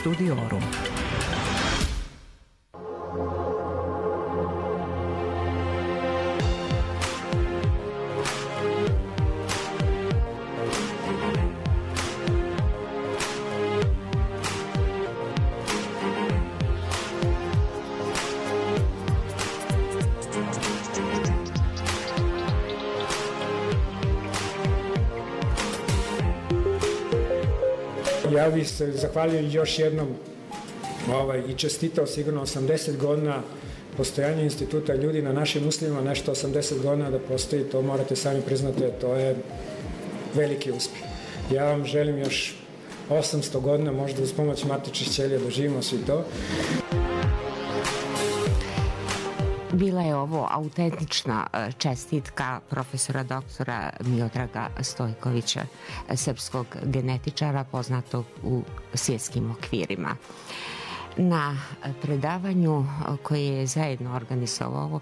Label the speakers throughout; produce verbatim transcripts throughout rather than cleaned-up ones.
Speaker 1: Studiorum.
Speaker 2: Ja bih se zahvalio još jednom ovaj, i čestitao sigurno osamdeset godina postojanja instituta ljudi na našim uslovima, nešto osamdeset godina da postoji, to morate sami priznati, to je veliki uspjeh. Ja vam želim još osamsto godina, možda uz pomoć matičnih ćelija doživimo svi to.
Speaker 3: Bila je ovo autentična čestitka profesora doktora Miodraga Stojkovića, srpskog genetičara poznatog u svjetskim okvirima. Na predavanju koje je zajedno organizovao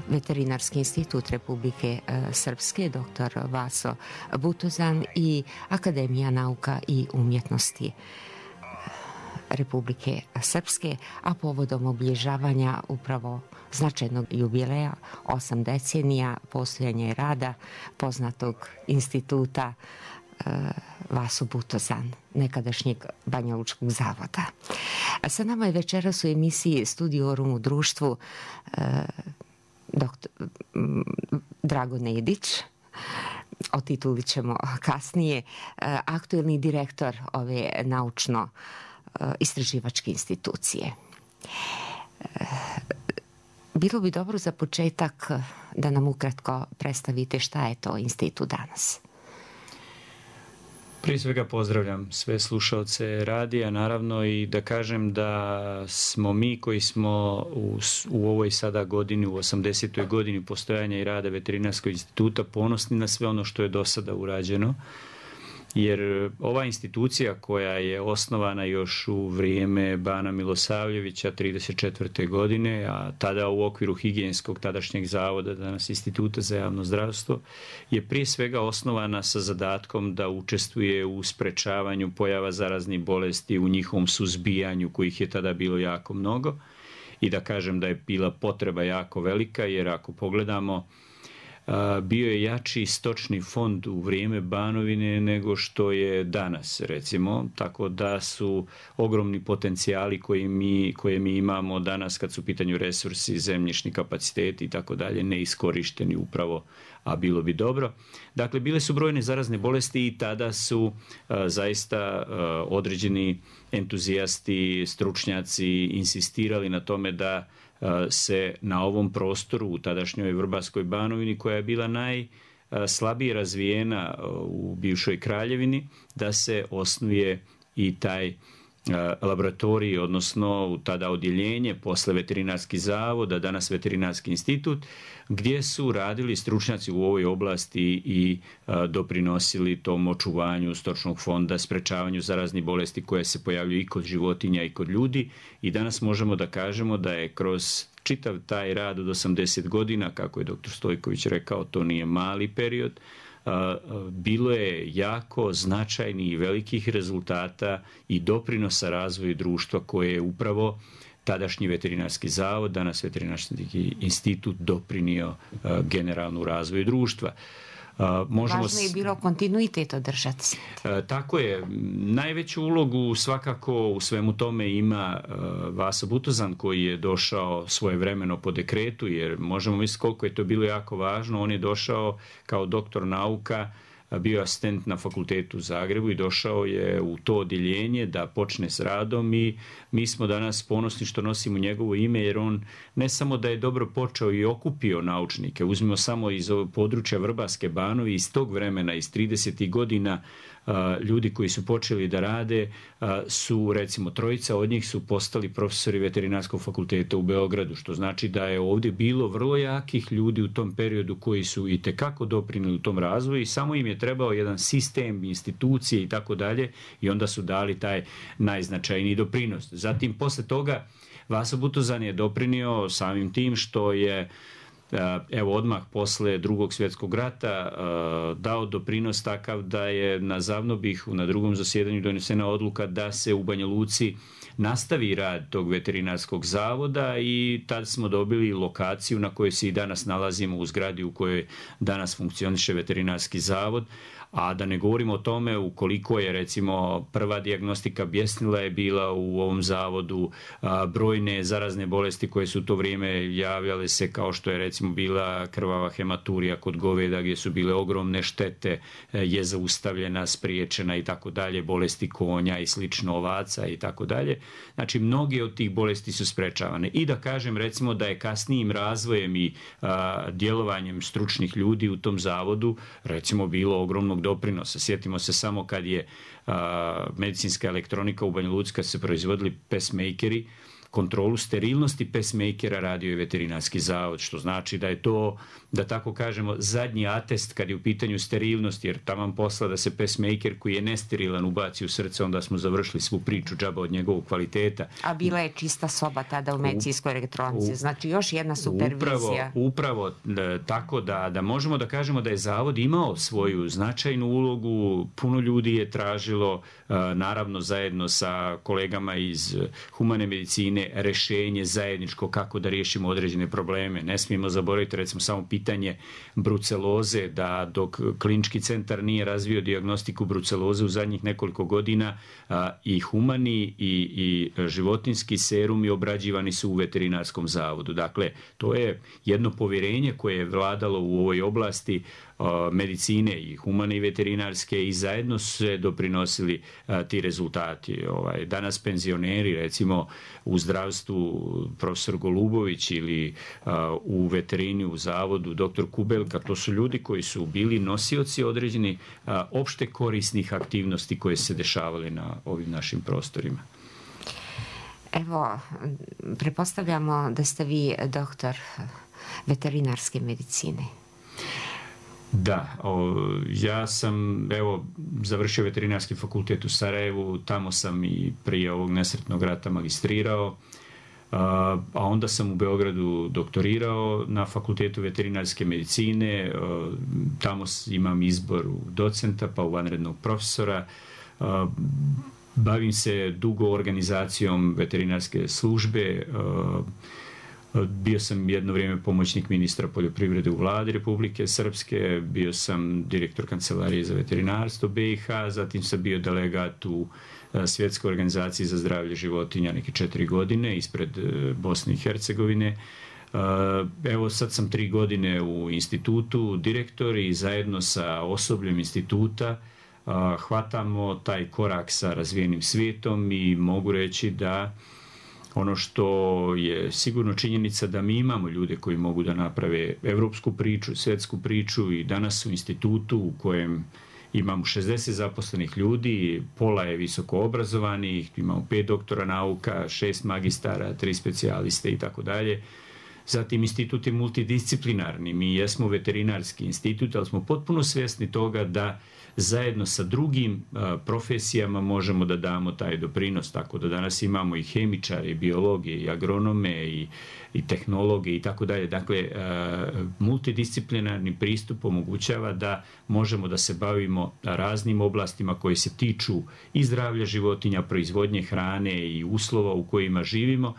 Speaker 3: Veterinarski institut Republike Srpske, doktor Vaso Butozan i Akademija nauka i umjetnosti Republike Srpske, a povodom obilježavanja upravo značajnog jubileja, osam decenija postojanja i rada poznatog instituta e, Vaso Butozan, nekadašnjeg Banjalučkog zavoda. A sa nama je večeras u emisiji Studiorum u društvu e, doktor m, Drago Nedić, o tituli ćemo kasnije, e, aktuelni direktor ove naučno istraživačke institucije. Bilo bi dobro za početak da nam ukratko predstavite šta je to institut danas.
Speaker 4: Prije svega pozdravljam sve slušaoce radija, naravno, i da kažem da smo mi koji smo u, u ovoj sada godini, u osamdesetoj godini postojanja i rada Veterinarskog instituta, ponosni na sve ono što je do sada urađeno. Jer ova institucija koja je osnovana još u vrijeme Bana Milosavljevića trideset četvrte godine, a tada u okviru higijenskog tadašnjeg zavoda, danas Instituta za javno zdravstvo, je prije svega osnovana sa zadatkom da učestvuje u sprečavanju pojava zaraznih bolesti, u njihovom suzbijanju, kojih je tada bilo jako mnogo, i da kažem da je bila potreba jako velika, jer ako pogledamo, bio je jači stočni fond u vrijeme Banovine nego što je danas, recimo, tako da su ogromni potencijali koji mi, koje mi imamo danas kad su u pitanju resursi, zemljišni kapaciteti i tako dalje, neiskorišteni upravo, a bilo bi dobro. Dakle, bile su brojne zarazne bolesti i tada su a, zaista a, određeni entuzijasti, stručnjaci insistirali na tome da se na ovom prostoru u tadašnjoj Vrbarskoj Banovini, koja je bila najslabije razvijena u bivšoj kraljevini, da se osnuje i taj laboratorij, odnosno tada odjeljenje, posle veterinarski zavod, a danas veterinarski institut, gdje su radili stručnjaci u ovoj oblasti i a, doprinosili tom očuvanju stočnog fonda, sprečavanju zaraznih bolesti koje se pojavljuju i kod životinja i kod ljudi. I danas možemo da kažemo da je kroz čitav taj rad od osamdeset godina, kako je doktor Stojković rekao, to nije mali period, bilo je jako značajnih i velikih rezultata i doprinosa razvoju društva koje je upravo tadašnji veterinarski zavod, danas veterinarski institut, doprinio generalnu razvoju društva.
Speaker 3: Možemo... Važno je bilo kontinuitet održati.
Speaker 4: Tako je. Najveću ulogu svakako u svemu tome ima Vaso Butozan, koji je došao svojevremeno po dekretu, jer možemo misliti koliko je to bilo jako važno. On je došao kao doktor nauka, bio asistent na fakultetu u Zagrebu i došao je u to odjeljenje da počne s radom, i mi smo danas ponosni što nosimo njegovo ime, jer on ne samo da je dobro počeo i okupio naučnike, uzmimo samo iz područja Vrbarske Banove, iz tog vremena, iz tridesetih godina, ljudi koji su počeli da rade su, recimo, trojica od njih su postali profesori veterinarskog fakulteta u Beogradu, što znači da je ovdje bilo vrlo jakih ljudi u tom periodu koji su i tekako doprinili u tom razvoju, i samo im je trebao jedan sistem, institucije i tako dalje, i onda su dali taj najznačajniji doprinos. Zatim, posle toga, Vaso Butozan je doprinio samim tim što je evo odmah posle drugog svjetskog rata dao doprinos takav da je na Zavnobihu na drugom zasjedanju donesena odluka da se u Banja Luci nastavi rad tog veterinarskog zavoda i tad smo dobili lokaciju na kojoj se i danas nalazimo u zgradi u kojoj danas funkcioniše veterinarski zavod. A da ne govorimo o tome ukoliko je recimo prva dijagnostika bjesnila je bila u ovom zavodu, a, brojne zarazne bolesti koje su u to vrijeme javljale se kao što je recimo bila krvava hematurija kod goveda gdje su bile ogromne štete, je zaustavljena, spriječena i tako dalje, bolesti konja i slično ovaca i tako dalje. Znači mnoge od tih bolesti su sprečavane. I da kažem recimo da je kasnijim razvojem i a, djelovanjem stručnih ljudi u tom zavodu recimo bilo ogromnog doprinosa. Sjetimo se samo kad je a, medicinska elektronika u Banja Luci, kad se proizvodili pacemakeri, kontrolu sterilnosti pacemakera radio je veterinarski zavod, što znači da je to, da tako kažemo, zadnji atest kad je u pitanju sterilnosti, jer taman posla da se pacemaker koji je nesterilan ubaci u srce, onda smo završili svu priču džaba od njegovog kvaliteta.
Speaker 3: A bila je čista soba tada u medicinskoj elektronici, znači još jedna supervizija.
Speaker 4: Upravo, upravo da, tako da, da možemo da kažemo da je zavod imao svoju značajnu ulogu, puno ljudi je tražilo, naravno zajedno sa kolegama iz humane medicine, rešenje zajedničko kako da riješimo određene probleme. Ne smijemo zaboraviti recimo samo pitanje bruceloze, da dok klinički centar nije razvio dijagnostiku bruceloze u zadnjih nekoliko godina a, i humani i, i životinski serumi obrađivani su u veterinarskom zavodu. Dakle, to je jedno povjerenje koje je vladalo u ovoj oblasti medicine i humane i veterinarske i zajedno su se doprinosili a, ti rezultati. Ovaj, danas penzioneri recimo u zdravstvu profesor Golubović ili a, u veterini u zavodu doktor Kubelka, to su ljudi koji su bili nosioci određenih a, opšte korisnih aktivnosti koje se dešavale na ovim našim prostorima.
Speaker 3: Evo, pretpostavljamo da ste vi doktor veterinarske medicine.
Speaker 4: Da, o, ja sam evo završio veterinarski fakultet u Sarajevu, tamo sam i prije ovog nesretnog rata magistrirao, a, a onda sam u Beogradu doktorirao na fakultetu veterinarske medicine, a, tamo imam izbor u docenta pa u vanrednog profesora. A, bavim se dugo organizacijom veterinarske službe, a, bio sam jedno vrijeme pomoćnik ministra poljoprivrede u vladi Republike Srpske, bio sam direktor kancelarije za veterinarstvo B i H, zatim sam bio delegat u Svjetskoj organizaciji za zdravlje životinja neke četiri godine ispred Bosne i Hercegovine. Evo sad sam tri godine u institutu direktor i zajedno sa osobljem instituta hvatamo taj korak sa razvijenim svijetom i mogu reći da ono što je sigurno činjenica da mi imamo ljude koji mogu da naprave evropsku priču, svjetsku priču i danas u institutu u kojem imamo šezdeset zaposlenih ljudi, pola je visoko obrazovanih, imamo pet doktora nauka, šest magistara, tri specijaliste i tako dalje. Zatim institut je multidisciplinarni, mi jesmo veterinarski institut, ali smo potpuno svjesni toga da zajedno sa drugim a, profesijama možemo da damo taj doprinos, tako da danas imamo i hemičare, i biologe, i agronome, i, i tehnologe i tako dalje. Dakle, a, multidisciplinarni pristup omogućava da možemo da se bavimo raznim oblastima koje se tiču i zdravlja životinja, proizvodnje hrane i uslova u kojima živimo.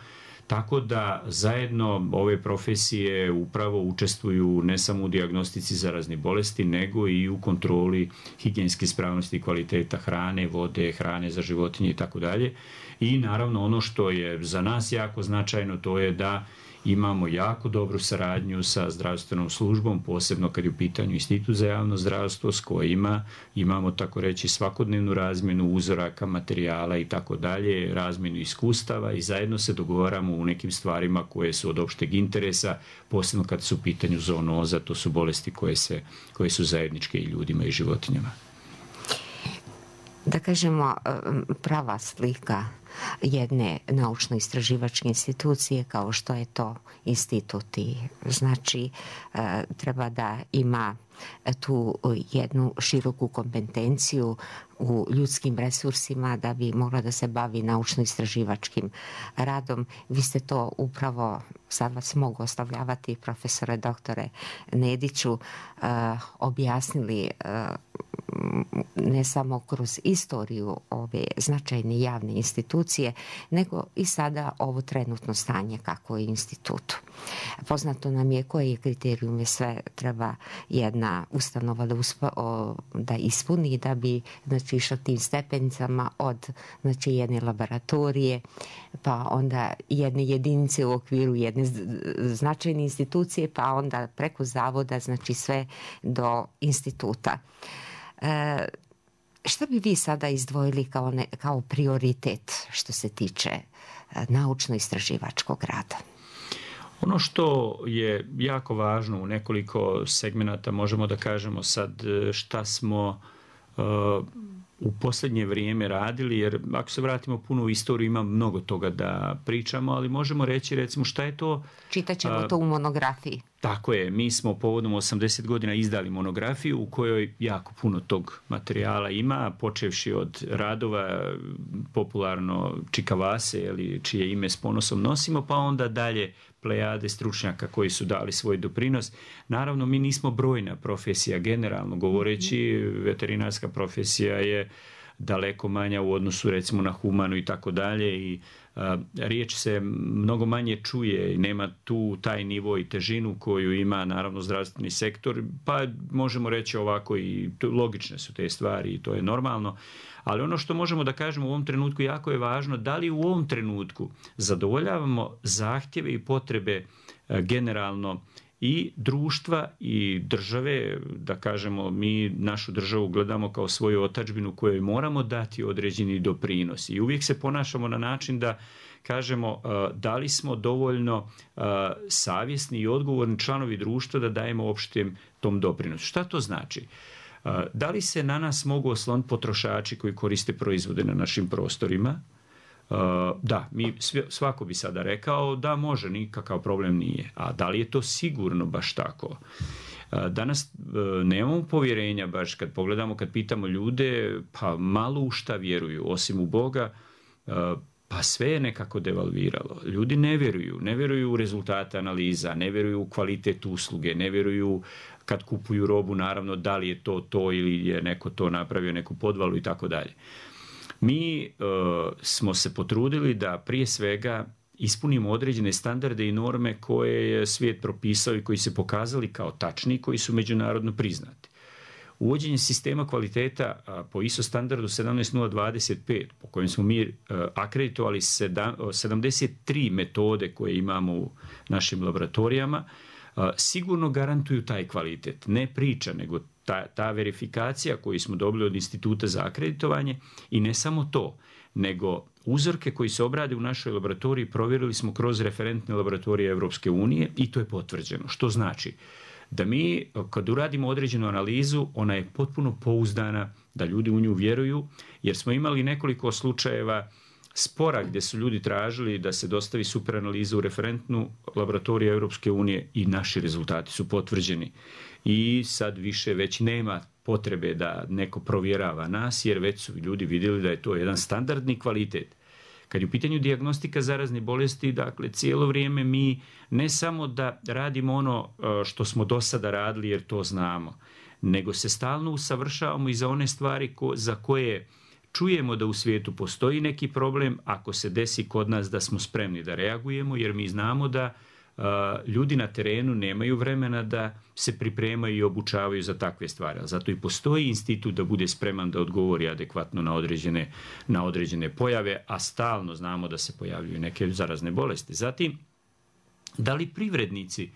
Speaker 4: Tako da zajedno ove profesije upravo učestvuju ne samo u dijagnostici zaraznih bolesti, nego i u kontroli higijenske ispravnosti i kvaliteta hrane, vode, hrane za životinje i tako dalje. I naravno ono što je za nas jako značajno, to je da imamo jako dobru saradnju sa zdravstvenom službom, posebno kad je u pitanju Institut za javno zdravstvo s kojima imamo tako reći svakodnevnu razmjenu uzoraka, materijala i tako dalje, razmjenu iskustava i zajedno se dogovaramo u nekim stvarima koje su od opšteg interesa, posebno kad su u pitanju zoonoza, to su bolesti koje, se, koje su zajedničke i ljudima i životinjama.
Speaker 3: da kažemo, prava slika jedne naučno-istraživačke institucije kao što je to institut. Znači, treba da ima tu jednu široku kompetenciju u ljudskim resursima da bi mogla da se bavi naučno-istraživačkim radom. Vi ste to upravo, sad vas mogu ostavljavati, profesore doktore Nediću, objasnili ne samo kroz istoriju ove značajne javne institucije, nego i sada ovo trenutno stanje kako je institutu. Poznato nam je koje kriterijume sve treba jedna ustanova da, uspa, o, da ispuni da bi, znači, išla tim stepenicama od, znači, jedne laboratorije, pa onda jedne jedinice u okviru jedne značajne institucije, pa onda preko zavoda, znači sve do instituta. E, šta bi vi sada izdvojili kao, ne, kao prioritet što se tiče naučno-istraživačkog rada?
Speaker 4: Ono što je jako važno u nekoliko segmenata, možemo da kažemo sad šta smo uh, u posljednje vrijeme radili, jer ako se vratimo puno u istoriju, ima mnogo toga da pričamo, ali možemo reći, recimo, šta je to...
Speaker 3: Čitaćemo uh, to u monografiji.
Speaker 4: Tako je, mi smo povodom osamdeset godina izdali monografiju u kojoj jako puno tog materijala ima, počevši od radova popularno Čikavase, ili čije ime s ponosom nosimo, pa onda dalje plejade stručnjaka koji su dali svoj doprinos. Naravno, mi nismo brojna profesija, generalno govoreći, veterinarska profesija je daleko manja u odnosu, recimo, na humanu i tako dalje, i a, riječ se mnogo manje čuje i nema tu taj nivo i težinu koju ima, naravno, zdravstveni sektor, pa možemo reći ovako, i logične su te stvari i to je normalno. Ali ono što možemo da kažemo u ovom trenutku jako je važno, da li u ovom trenutku zadovoljavamo zahtjeve i potrebe generalno i društva i države, da kažemo, mi našu državu gledamo kao svoju otadžbinu kojoj moramo dati određeni doprinos i uvijek se ponašamo na način da kažemo da li smo dovoljno savjesni i odgovorni članovi društva da dajemo opštem tom doprinosu. Šta to znači? Da li se na nas mogu osloniti potrošači koji koriste proizvode na našim prostorima? Da, mi, svako bi sada rekao da može, nikakav problem nije. A da li je to sigurno baš tako? Danas nemamo povjerenja baš kad pogledamo, kad pitamo ljude, pa malo u šta vjeruju, osim u Boga, pa sve je nekako devalviralo. Ljudi ne vjeruju, ne vjeruju u rezultate analiza, ne vjeruju u kvalitet usluge, ne vjeruju kad kupuju robu, naravno, da li je to to ili je neko to napravio, neku podvalu i tako dalje. Mi uh, smo se potrudili da prije svega ispunimo određene standarde i norme koje je svijet propisao i koji se pokazali kao tačni i koji su međunarodno priznati. Uvođenje sistema kvaliteta uh, po I S O standardu sedamnaest nula dvadeset pet, po kojem smo mi uh, akreditovali sedamdeset tri metode koje imamo u našim laboratorijama, uh, sigurno garantuju taj kvalitet. Ne priča, nego Ta, ta verifikacija koju smo dobili od Instituta za akreditovanje, i ne samo to, nego uzorke koji se obrade u našoj laboratoriji provjerili smo kroz referentne laboratorije Evropske unije i to je potvrđeno. Što znači da mi kad uradimo određenu analizu, ona je potpuno pouzdana, da ljudi u nju vjeruju, jer smo imali nekoliko slučajeva spora gdje su ljudi tražili da se dostavi superanaliza u referentnu laboratoriju Evropske unije i naši rezultati su potvrđeni. I sad više već nema potrebe da neko provjerava nas, jer već su ljudi vidjeli da je to jedan standardni kvalitet. Kad je u pitanju dijagnostika zaraznih bolesti, dakle, cijelo vrijeme mi ne samo da radimo ono što smo do sada radili jer to znamo, nego se stalno usavršavamo i za one stvari ko, za koje čujemo da u svijetu postoji neki problem, ako se desi kod nas da smo spremni da reagujemo, jer mi znamo da uh, ljudi na terenu nemaju vremena da se pripremaju i obučavaju za takve stvari. Zato i postoji institut da bude spreman da odgovori adekvatno na određene, na određene pojave, a stalno znamo da se pojavljuju neke zarazne bolesti. Zatim, da li privrednici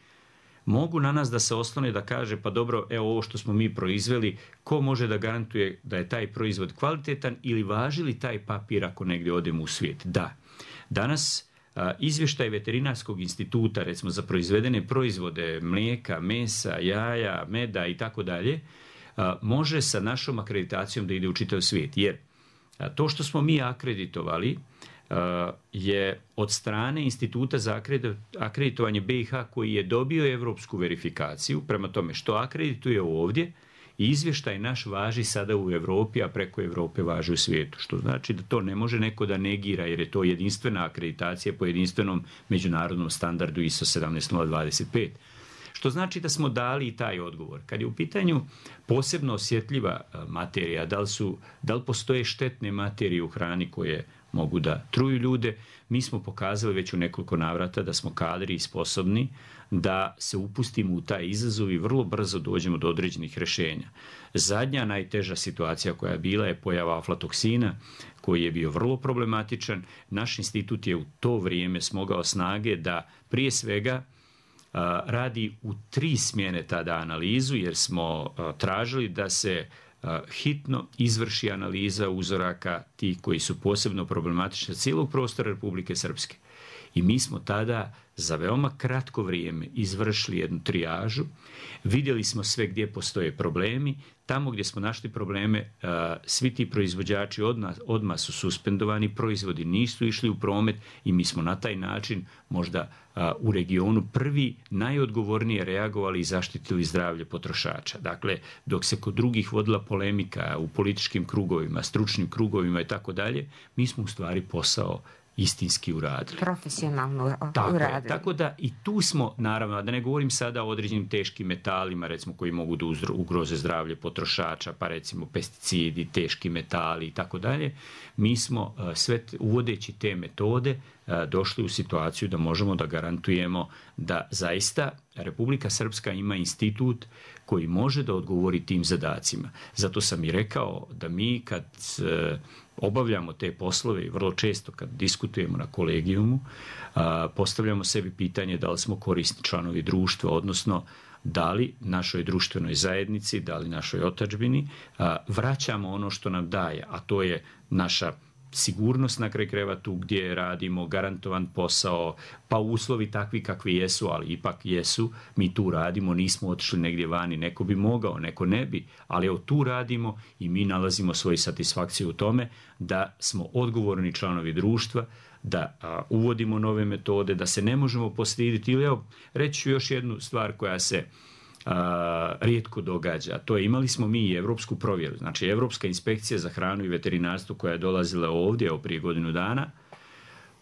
Speaker 4: mogu na nas da se oslone da kaže, pa dobro, evo ovo što smo mi proizveli, ko može da garantuje da je taj proizvod kvalitetan ili važi li taj papir ako negdje odemo u svijet? Da. Danas a, izvještaj Veterinarskog instituta, recimo za proizvedene proizvode, mlijeka, mesa, jaja, meda i tako dalje, može sa našom akreditacijom da ide u čitav svijet. Jer to što smo mi akreditovali je od strane Instituta za akreditovanje B i H koji je dobio evropsku verifikaciju, prema tome što akredituje ovdje, izvještaj naš važi sada u Europi, a preko Europe važi u svijetu, što znači da to ne može neko da negira jer je to jedinstvena akreditacija po jedinstvenom međunarodnom standardu I S O sedamnaest nula dvadeset pet. Što znači da smo dali i taj odgovor. Kad je u pitanju posebno osjetljiva materija, da li, su, da li postoje štetne materije u hrani koje mogu da truju ljude, mi smo pokazali već u nekoliko navrata da smo kadri i sposobni da se upustimo u taj izazov i vrlo brzo dođemo do određenih rješenja. Zadnja najteža situacija koja je bila je pojava aflatoksina koji je bio vrlo problematičan. Naš institut je u to vrijeme smogao snage da prije svega a, radi u tri smjene tada analizu jer smo a, tražili da se hitno izvrši analiza uzoraka tih koji su posebno problematični cijelog prostora Republike Srpske. I mi smo tada za veoma kratko vrijeme izvršili jednu trijažu, vidjeli smo sve gdje postoje problemi, tamo gdje smo našli probleme, svi ti proizvođači odmah, odmah su suspendovani, proizvodi nisu išli u promet i mi smo na taj način možda u regionu prvi najodgovornije reagovali i zaštitili zdravlje potrošača. Dakle, dok se kod drugih vodila polemika u političkim krugovima, stručnim krugovima i tako dalje, mi smo u stvari posao istinski uradili.
Speaker 3: Profesionalno
Speaker 4: tako
Speaker 3: uradili.
Speaker 4: Je, tako da i tu smo, naravno, da ne govorim sada o određenim teškim metalima, recimo koji mogu da ugroze zdravlje potrošača, pa recimo pesticidi, teški metali i tako dalje, mi smo sve uvodeći te metode došli u situaciju da možemo da garantujemo da zaista Republika Srpska ima institut koji može da odgovori tim zadacima. Zato sam i rekao da mi kad obavljamo te poslove i vrlo često kad diskutujemo na kolegijumu, postavljamo sebi pitanje da li smo korisni članovi društva, odnosno da li našoj društvenoj zajednici, da li našoj otadžbini vraćamo ono što nam daje, a to je naša sigurnost na kraj krajeva tu gdje radimo, garantovan posao, pa uslovi takvi kakvi jesu, ali ipak jesu, mi tu radimo, nismo otišli negdje vani, neko bi mogao, neko ne bi, ali evo tu radimo i mi nalazimo svoju satisfakciju u tome da smo odgovorni članovi društva, da a, uvodimo nove metode, da se ne možemo postiditi. Ili evo, reći ću još jednu stvar koja se a, rijetko događa. To je, imali smo mi i evropsku provjeru. Znači, Evropska inspekcija za hranu i veterinarstvo koja je dolazila ovdje evo, prije godinu dana,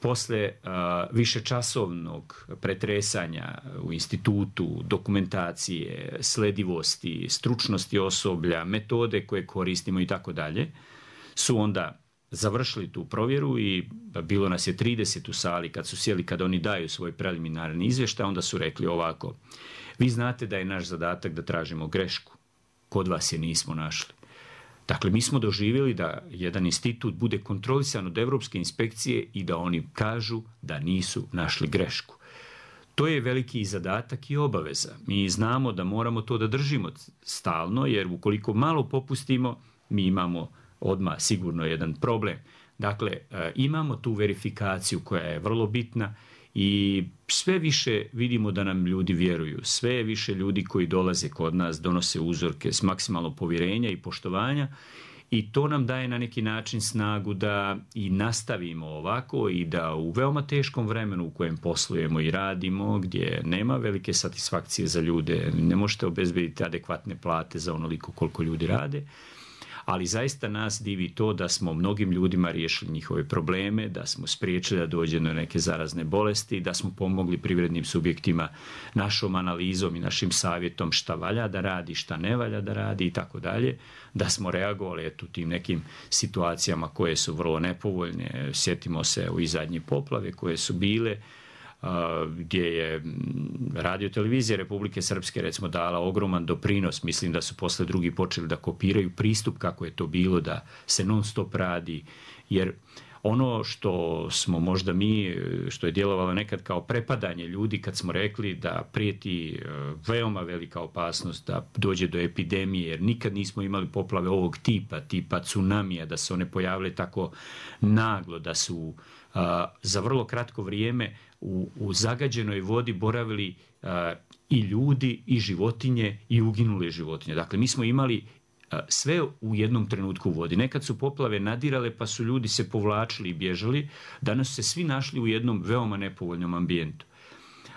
Speaker 4: posle a, višečasovnog pretresanja u institutu, dokumentacije, sledivosti, stručnosti osoblja, metode koje koristimo i tako dalje, su onda završili tu provjeru i bilo nas je trideset u sali kad su sjeli, kad oni daju svoj preliminarni izvještaj, onda su rekli ovako: vi znate da je naš zadatak da tražimo grešku, kod vas je nismo našli. Dakle, mi smo doživjeli da jedan institut bude kontrolisan od Evropske inspekcije i da oni kažu da nisu našli grešku. To je veliki zadatak i obaveza. Mi znamo da moramo to da držimo stalno, jer ukoliko malo popustimo, mi imamo odmah sigurno jedan problem. Dakle, imamo tu verifikaciju koja je vrlo bitna i sve više vidimo da nam ljudi vjeruju. Sve više ljudi koji dolaze kod nas donose uzorke s maksimalno povjerenja i poštovanja i to nam daje na neki način snagu da i nastavimo ovako i da u veoma teškom vremenu u kojem poslujemo i radimo, gdje nema velike satisfakcije za ljude, ne možete obezbediti adekvatne plate za onoliko koliko ljudi rade, ali zaista nas divi to da smo mnogim ljudima riješili njihove probleme, da smo spriječili da dođe do neke zarazne bolesti, da smo pomogli privrednim subjektima našom analizom i našim savjetom šta valja da radi, šta ne valja da radi i tako dalje, da smo reagovali eto, tim nekim situacijama koje su vrlo nepovoljne. Sjetimo se u i zadnje poplave koje su bile, gdje je radio-televizija Republike Srpske recimo dala ogroman doprinos. Mislim da su posle drugi počeli da kopiraju pristup kako je to bilo, da se non stop radi, jer ono što smo možda mi, što je djelovalo nekad kao prepadanje ljudi kad smo rekli da prijeti veoma velika opasnost da dođe do epidemije, jer nikad nismo imali poplave ovog tipa, tipa tsunamija, da se one pojavile tako naglo, da su a, za vrlo kratko vrijeme u, u zagađenoj vodi boravili a, i ljudi i životinje i uginule životinje. Dakle, mi smo imali sve u jednom trenutku vodi. Nekad su poplave nadirale pa su ljudi se povlačili i bježali, danas su se svi našli u jednom veoma nepovoljnom ambijentu.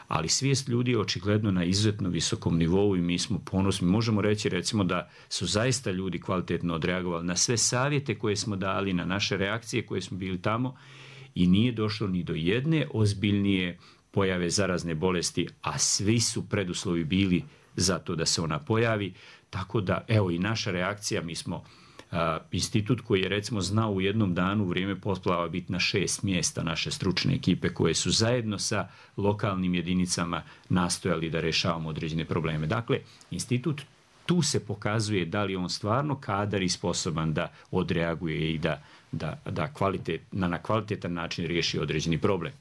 Speaker 4: Ali svijest ljudi je očigledno na izuzetno visokom nivou i mi smo ponosni. Možemo reći recimo da su zaista ljudi kvalitetno odreagovali na sve savjete koje smo dali, na naše reakcije koje smo bili tamo i nije došlo ni do jedne ozbiljnije pojave zarazne bolesti, a svi su preduslovi bili za to da se ona pojavi. Tako da, evo i naša reakcija, mi smo a, institut koji je recimo znao u jednom danu u vrijeme poplava biti na šest mjesta naše stručne ekipe koje su zajedno sa lokalnim jedinicama nastojali da rješavamo određene probleme. Dakle, institut tu se pokazuje da li je on stvarno kadar i sposoban da odreaguje i da, da, da kvalitet, na, na kvalitetan način riješi određeni problem.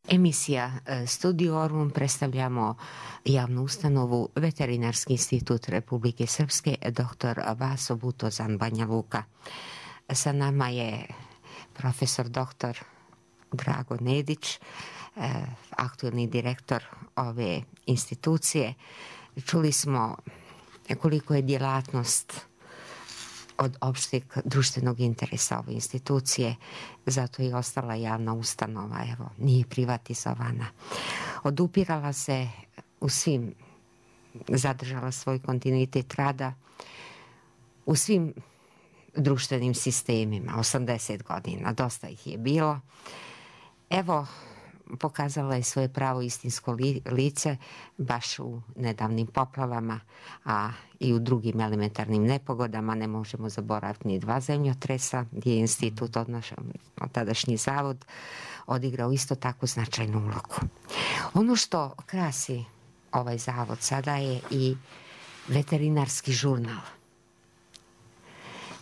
Speaker 3: Emisija Studiorum predstavljamo javnu ustanovu Veterinarski institut Republike Srpske doktor Vaso Butozan Banja Luka. Sa nama je profesor doktor Drago Nedić, aktualni direktor ove institucije. Čuli smo koliko je djelatnost od opšteg društvenog interesa ove institucije, zato je ostala javna ustanova, evo, nije privatizovana. Odupirala se u svim, zadržala svoj kontinuitet rada u svim društvenim sistemima, osamdeset godina, dosta ih je bilo. Evo, pokazala je svoje pravo istinsko lice baš u nedavnim poplavama, a i u drugim elementarnim nepogodama. Ne možemo zaboraviti ni dva zemljotresa gdje je institut, odnosno tadašnji zavod, odigrao isto tako značajnu ulogu. Ono što krasi ovaj zavod sada je i veterinarski žurnal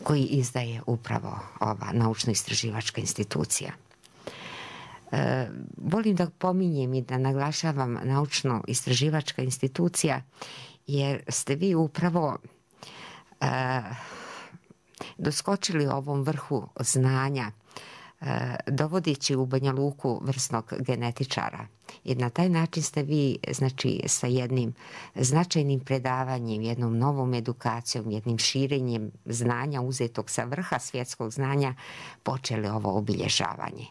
Speaker 3: koji izdaje upravo ova naučno-istraživačka institucija. E, volim da pominjem i da naglašavam naučno-istraživačka institucija jer ste vi upravo e, doskočili ovom vrhu znanja e, dovodeći u Banja Luku vrsnog genetičara. I na taj način ste vi, znači, sa jednim značajnim predavanjem, jednom novom edukacijom, jednim širenjem znanja uzetog sa vrha svjetskog znanja počeli ovo obilježavanje.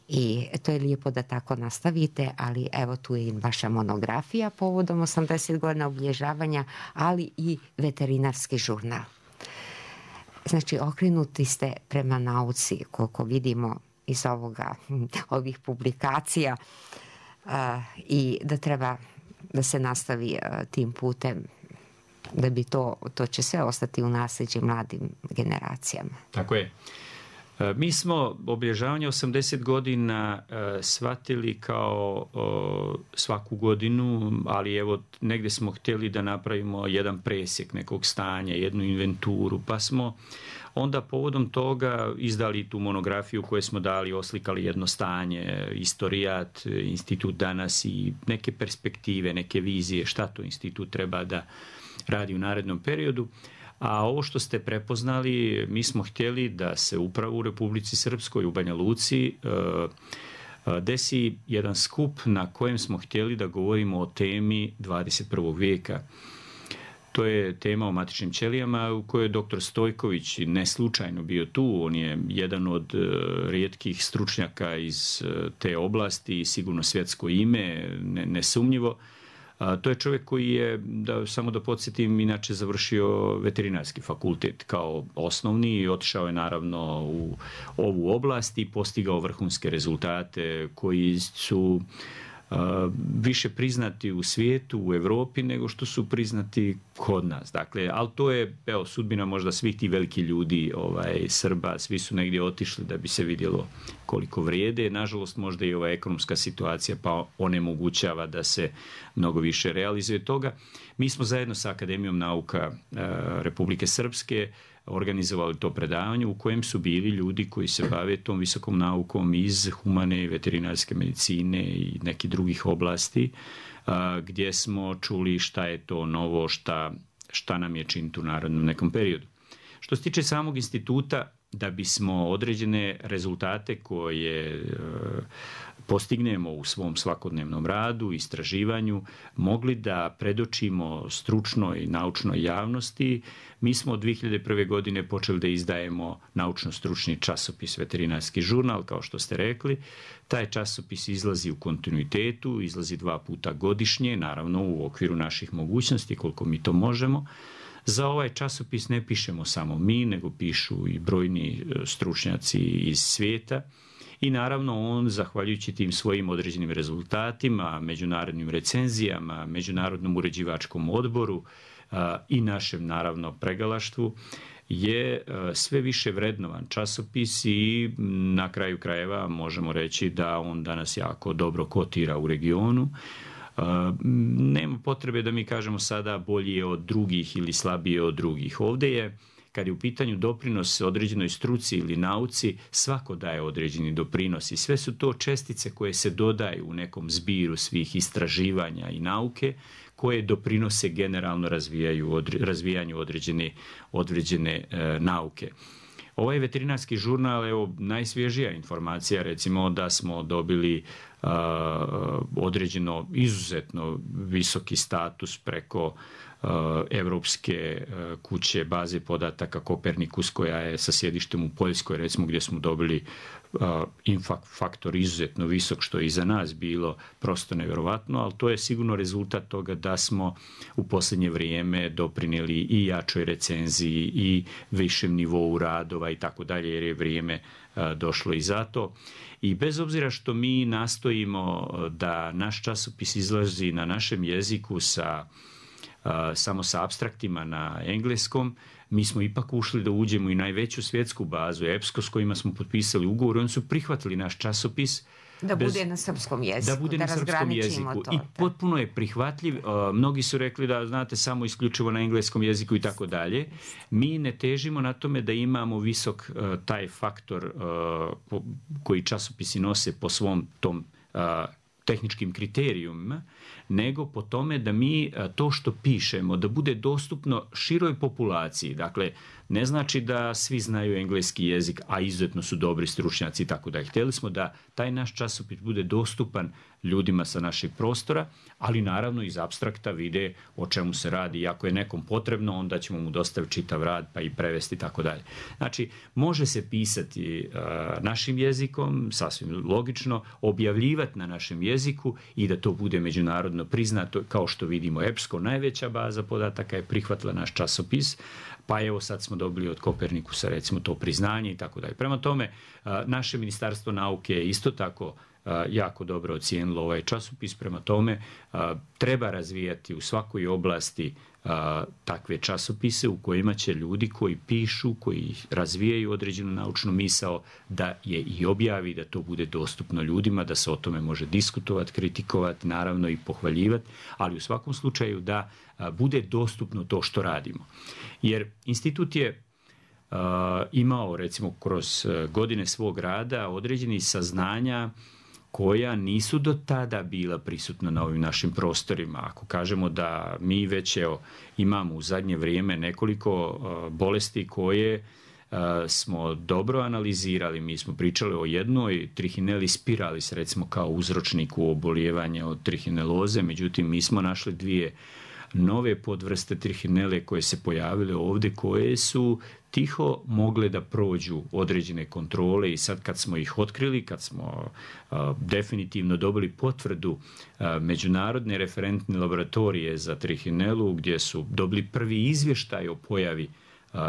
Speaker 3: I to je lijepo da tako nastavite, ali evo tu je i vaša monografija povodom osamdeset godina obilježavanja, ali i veterinarski žurnal. Znači, okrenuti ste prema nauci, koliko vidimo iz ovoga, ovih publikacija, uh, i da treba da se nastavi tim putem, da bi to, to će sve ostati u nasljeđe mladim generacijama.
Speaker 4: Tako je. Mi smo obilježavanje osamdeset godina shvatili kao svaku godinu, ali evo negdje smo htjeli da napravimo jedan presjek nekog stanja, jednu inventuru, pa smo onda povodom toga izdali tu monografiju koju smo dali, oslikali jedno stanje, istorijat, institut danas i neke perspektive, neke vizije šta to institut treba da radi u narednom periodu. A ovo što ste prepoznali, mi smo htjeli da se upravo u Republici Srpskoj, u Banja Luci, desi jedan skup na kojem smo htjeli da govorimo o temi dvadeset prvog vijeka. To je tema o matičnim ćelijama u kojoj je doktor Stojković ne slučajno bio tu. On je jedan od rijetkih stručnjaka iz te oblasti i sigurno svjetsko ime, nesumnjivo. A, to je čovjek koji je, da, samo da podsjetim, inače završio veterinarski fakultet kao osnovni i otišao je naravno u ovu oblast i postigao vrhunske rezultate koji su a, više priznati u svijetu, u Europi, nego što su priznati kod nas. Dakle, ali to je, evo, sudbina možda svih tih veliki ljudi, ovaj, Srba, svi su negdje otišli da bi se vidjelo koliko vrijede. Nažalost, možda i ova ekonomska situacija pa onemogućava da se mnogo više realizuje toga. Mi smo zajedno sa Akademijom nauka e, Republike Srpske organizovali to predavanje u kojem su bili ljudi koji se bave tom visokom naukom iz humane i veterinarske medicine i nekih drugih oblasti, a, gdje smo čuli šta je to novo, šta, šta nam je činiti u narednom nekom periodu. Što se tiče samog instituta, da bismo određene rezultate koje e, postignemo u svom svakodnevnom radu, istraživanju, mogli da predočimo stručnoj naučnoj javnosti, mi smo od dvije hiljade prve. godine počeli da izdajemo naučno-stručni časopis Veterinarski žurnal, kao što ste rekli. Taj časopis izlazi u kontinuitetu, izlazi dva puta godišnje, naravno u okviru naših mogućnosti, koliko mi to možemo. Za ovaj časopis ne pišemo samo mi, nego pišu i brojni stručnjaci iz svijeta. I naravno on, zahvaljujući tim svojim određenim rezultatima, međunarodnim recenzijama, međunarodnom uređivačkom odboru a, i našem naravno pregalaštvu, je a, sve više vrednovan časopis i na kraju krajeva možemo reći da on danas jako dobro kotira u regionu. Uh, nema potrebe da mi kažemo sada bolji je od drugih ili slabiji je od drugih. Ovdje je, kad je u pitanju doprinos određenoj struci ili nauci, svako daje određeni doprinos i sve su to čestice koje se dodaju u nekom zbiru svih istraživanja i nauke koje doprinose generalno razvijaju, odre, razvijanju određene, određene e, nauke. Ovaj veterinarski žurnal, evo, najsvježija informacija, recimo da smo dobili uh, određeno izuzetno visoki status preko uh, Evropske uh, kuće baze podataka Kopernikus, koja je sa sjedištem u Poljskoj, recimo, gdje smo dobili uh, infak faktor izuzetno visok, što je i za nas bilo prosto nevjerovatno, ali to je sigurno rezultat toga da smo u posljednje vrijeme doprinijeli i jačoj recenziji i višem nivou radova i tako dalje, jer je vrijeme uh, došlo i za to. I bez obzira što mi nastojimo da naš časopis izlazi na našem jeziku sa, uh, samo sa apstraktima na engleskom, mi smo ipak ušli da uđemo i najveću svjetsku bazu, E P S C O, s kojima smo potpisali ugovor, oni su prihvatili naš časopis.
Speaker 3: Da bez, bude na srpskom jeziku,
Speaker 4: da, bude
Speaker 3: da
Speaker 4: na srpskom jeziku.
Speaker 3: To,
Speaker 4: I
Speaker 3: da.
Speaker 4: potpuno je prihvatljiv. Uh, mnogi su rekli da, znate, samo isključivo na engleskom jeziku i tako dalje. Mi ne težimo na tome da imamo visok uh, taj faktor uh, po, koji časopisi nose po svom tom uh, tehničkim kriterijumima, nego po tome da mi to što pišemo da bude dostupno široj populaciji. Dakle, ne znači da svi znaju engleski jezik, a izuzetno su dobri stručnjaci i tako da. Htjeli smo da taj naš časopis bude dostupan ljudima sa našeg prostora, ali naravno iz apstrakta vide o čemu se radi. I ako je nekom potrebno, onda ćemo mu dostaviti čitav rad pa i prevesti i tako dalje. Znači, može se pisati uh, našim jezikom, sasvim logično, objavljivati na našem jeziku i da to bude međunarodno priznato, kao što vidimo E P S C O, najveća baza podataka je prihvatila naš časopis, pa evo sad smo dobili od Kopernikusa recimo to priznanje i tako dalje. Prema tome, naše Ministarstvo nauke je isto tako jako dobro ocijenilo ovaj časopis. Prema tome treba razvijati u svakoj oblasti takve časopise u kojima će ljudi koji pišu, koji razvijaju određenu naučnu misao, da je i objavi, da to bude dostupno ljudima, da se o tome može diskutovati, kritikovati, naravno i pohvaljivati, ali u svakom slučaju da bude dostupno to što radimo. Jer institut je Uh, imao recimo kroz godine svog rada određenih saznanja koja nisu do tada bila prisutna na ovim našim prostorima. Ako kažemo da mi već evo, imamo u zadnje vrijeme nekoliko uh, bolesti koje uh, smo dobro analizirali, mi smo pričali o jednoj trihineli spiralis recimo kao uzročniku obolijevanja od trihineloze, međutim mi smo našli dvije nove podvrste trihinele koje se pojavile ovdje, koje su tiho mogle da prođu određene kontrole i sad kad smo ih otkrili, kad smo a, definitivno dobili potvrdu a, međunarodne referentne laboratorije za trihinelu, gdje su dobili prvi izvještaj o pojavi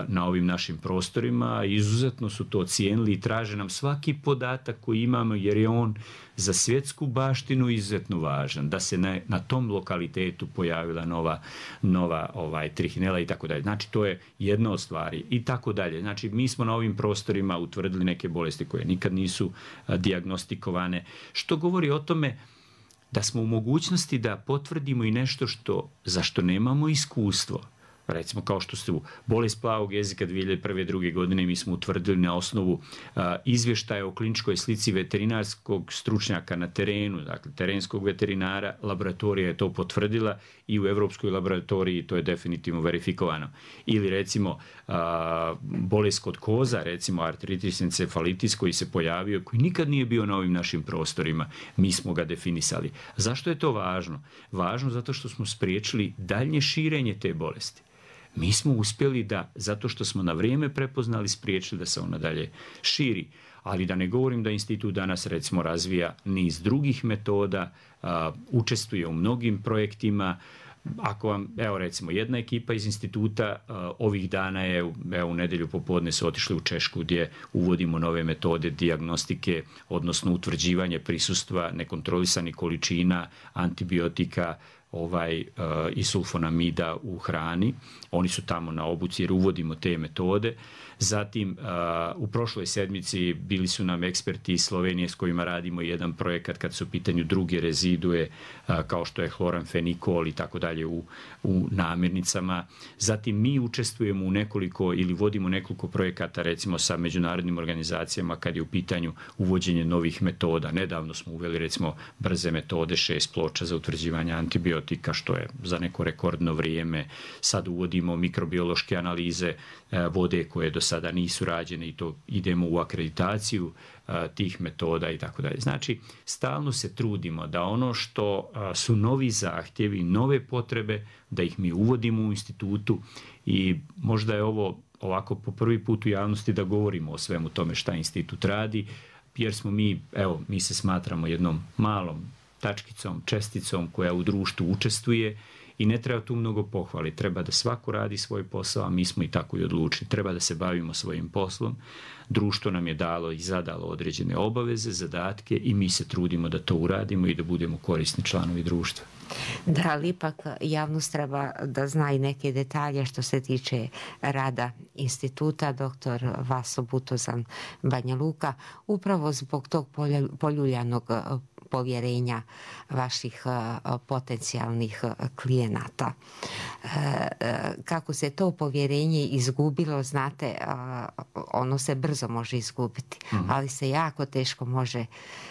Speaker 4: na ovim našim prostorima, izuzetno su to ocijenili i traže nam svaki podatak koji imamo, jer je on za svjetsku baštinu izuzetno važan, da se na, na tom lokalitetu pojavila nova, nova ovaj, trihinela i tako dalje. Znači, to je jedna od stvari i tako dalje. Znači, mi smo na ovim prostorima utvrdili neke bolesti koje nikad nisu a, dijagnostikovane, što govori o tome da smo u mogućnosti da potvrdimo i nešto što, za što nemamo iskustvo. Recimo kao što su bolest plavog jezika dvije hiljade prve. druge godine mi smo utvrdili na osnovu a, izvještaja o kliničkoj slici veterinarskog stručnjaka na terenu, dakle terenskog veterinara, laboratorija je to potvrdila i u Europskoj laboratoriji to je definitivno verifikovano. Ili recimo a, bolest kod koza, recimo artritis encefalitis koji se pojavio, koji nikad nije bio na ovim našim prostorima, mi smo ga definisali. Zašto je to važno? Važno zato što smo spriječili daljnje širenje te bolesti. Mi smo uspjeli da, zato što smo na vrijeme prepoznali, spriječili da se ona dalje širi. Ali da ne govorim da institut danas recimo razvija niz drugih metoda, a, učestvuje u mnogim projektima. Ako vam, evo recimo, jedna ekipa iz instituta a, ovih dana je, evo u nedjelju popodne su otišli u Češku gdje uvodimo nove metode dijagnostike, odnosno utvrđivanje prisustva nekontrolisanih količina antibiotika, ovaj uh, i sulfonamida u hrani. Oni su tamo na obuci jer uvodimo te metode. Zatim uh, u prošloj sedmici bili su nam eksperti iz Slovenije s kojima radimo jedan projekat kad su u pitanju druge rezidue uh, kao što je hloramfenikol i tako dalje u, u namirnicama. Zatim mi učestvujemo u nekoliko ili vodimo nekoliko projekata recimo sa međunarodnim organizacijama kad je u pitanju uvođenje novih metoda. Nedavno smo uveli recimo brze metode šest ploča za utvrđivanje antibiotika, što je za neko rekordno vrijeme. Sad uvodimo mikrobiološke analize uh, vode koje do sada nisu rađene i to idemo u akreditaciju a, tih metoda i tako dalje. Znači, stalno se trudimo da ono što a, su novi zahtjevi, nove potrebe, da ih mi uvodimo u institutu i možda je ovo ovako po prvi put u javnosti da govorimo o svemu tome šta institut radi, jer smo mi, evo, mi se smatramo jednom malom tačkicom, česticom koja u društvu učestvuje. I ne treba tu mnogo pohvali, treba da svako radi svoj posao, a mi smo i tako i odlučili. Treba da se bavimo svojim poslom, društvo nam je dalo i zadalo određene obaveze, zadatke i mi se trudimo da to uradimo i da budemo korisni članovi društva.
Speaker 3: Da, ali ipak javnost treba da zna i neke detalje što se tiče rada instituta. Doktor Vaso Butozan, Banja Luka, upravo zbog tog poljuljanog povjerenja vaših potencijalnih klijenata. Kako se to povjerenje izgubilo, znate, ono se brzo može izgubiti, mm-hmm. ali se jako teško može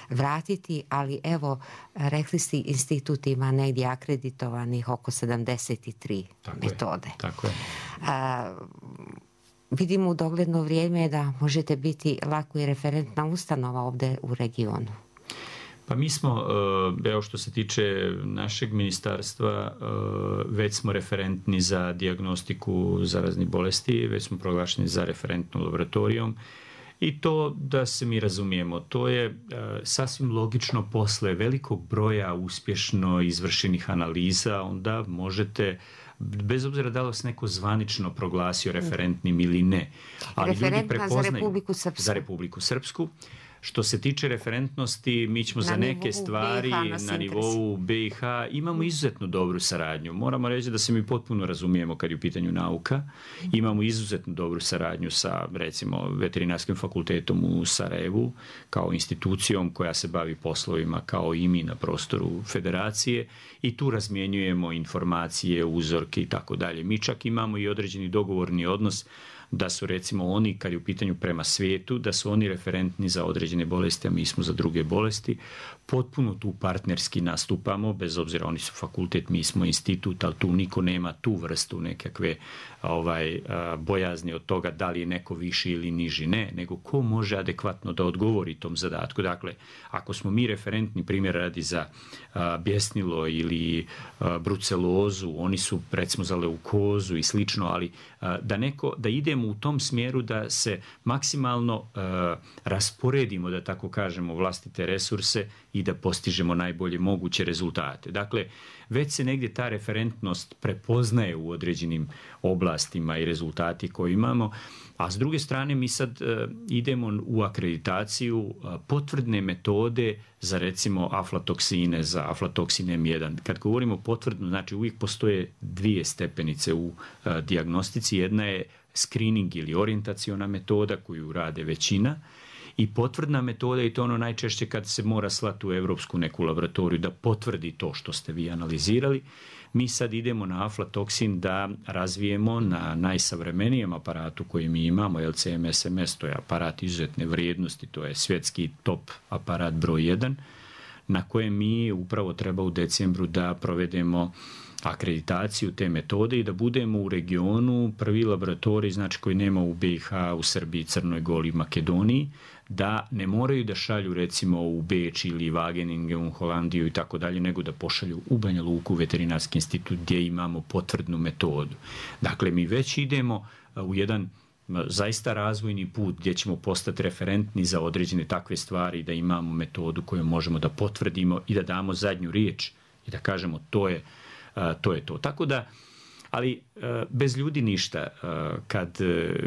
Speaker 3: vratiti, ali evo, rekli ste, institut ima negdje akreditovanih oko sedamdeset tri tako metode.
Speaker 4: Je, tako je.
Speaker 3: A, vidim u dogledno vrijeme da možete biti lako i referentna ustanova ovdje u regionu.
Speaker 4: Pa mi smo, evo što se tiče našeg ministarstva, već smo referentni za dijagnostiku zaraznih bolesti, već smo proglašeni za referentnom laboratorijom i to, da se mi razumijemo, to je sasvim logično posle velikog broja uspješno izvršenih analiza, onda možete, bez obzira da li vas neko zvanično proglasio referentnim ili ne, ali ljudi prepoznaju
Speaker 3: za Republiku Srpsku.
Speaker 4: Za Republiku Srpsku. Što se tiče referentnosti, mi ćemo na za neke stvari na nivou B i H imamo izuzetno dobru saradnju. Moramo reći da se mi potpuno razumijemo kad je u pitanju nauka. Imamo izuzetno dobru saradnju sa, recimo, Veterinarskim fakultetom u Sarajevu kao institucijom koja se bavi poslovima kao i mi na prostoru federacije i tu razmjenjujemo informacije, uzorke i tako dalje. Mi čak imamo i određeni dogovorni odnos da su, recimo, oni, kad je u pitanju prema svijetu, da su oni referentni za određene bolesti, a mi smo za druge bolesti. Potpuno tu partnerski nastupamo, bez obzira, oni su fakultet, mi smo institut, ali tu niko nema tu vrstu nekakve ovaj, bojazni od toga da li je neko viši ili niži. Ne, nego ko može adekvatno da odgovori tom zadatku. Dakle, ako smo mi referentni, primjer radi za a, bjesnilo ili a, brucelozu, oni su, recimo, za leukozu i slično, ali a, da, neko, da idemo u tom smjeru da se maksimalno a, rasporedimo, da tako kažemo, vlastite resurse i da postižemo najbolje moguće rezultate. Dakle, već se negdje ta referentnost prepoznaje u određenim oblastima i rezultati koje imamo, a s druge strane mi sad uh, idemo u akreditaciju uh, potvrdne metode za, recimo, aflatoksine, za aflatoksin em jedan. Kad govorimo potvrdno, znači uvijek postoje dvije stepenice u uh, dijagnostici. Jedna je screening ili orijentaciona metoda koju rade većina, i potvrdna metoda, i to ono najčešće kad se mora slati u evropsku neku laboratoriju da potvrdi to što ste vi analizirali. Mi sad idemo na aflatoksin da razvijemo na najsavremenijem aparatu koji mi imamo, L C M S M S, to je aparat izuzetne vrijednosti, to je svjetski top aparat broj jedan, na kojem mi upravo treba u decembru da provedemo akreditaciju te metode i da budemo u regionu prvi laboratorij, znači koji nema u B i H, u Srbiji, Crnoj Gori, Makedoniji, da ne moraju da šalju, recimo, u Beč ili Wageningen, u Holandiju i tako dalje, nego da pošalju u Banja Luku u Veterinarski institut gdje imamo potvrdnu metodu. Dakle, mi već idemo u jedan zaista razvojni put gdje ćemo postati referentni za određene takve stvari, da imamo metodu koju možemo da potvrdimo i da damo zadnju riječ i da kažemo to je to. Je to. Tako da, ali bez ljudi ništa. Kad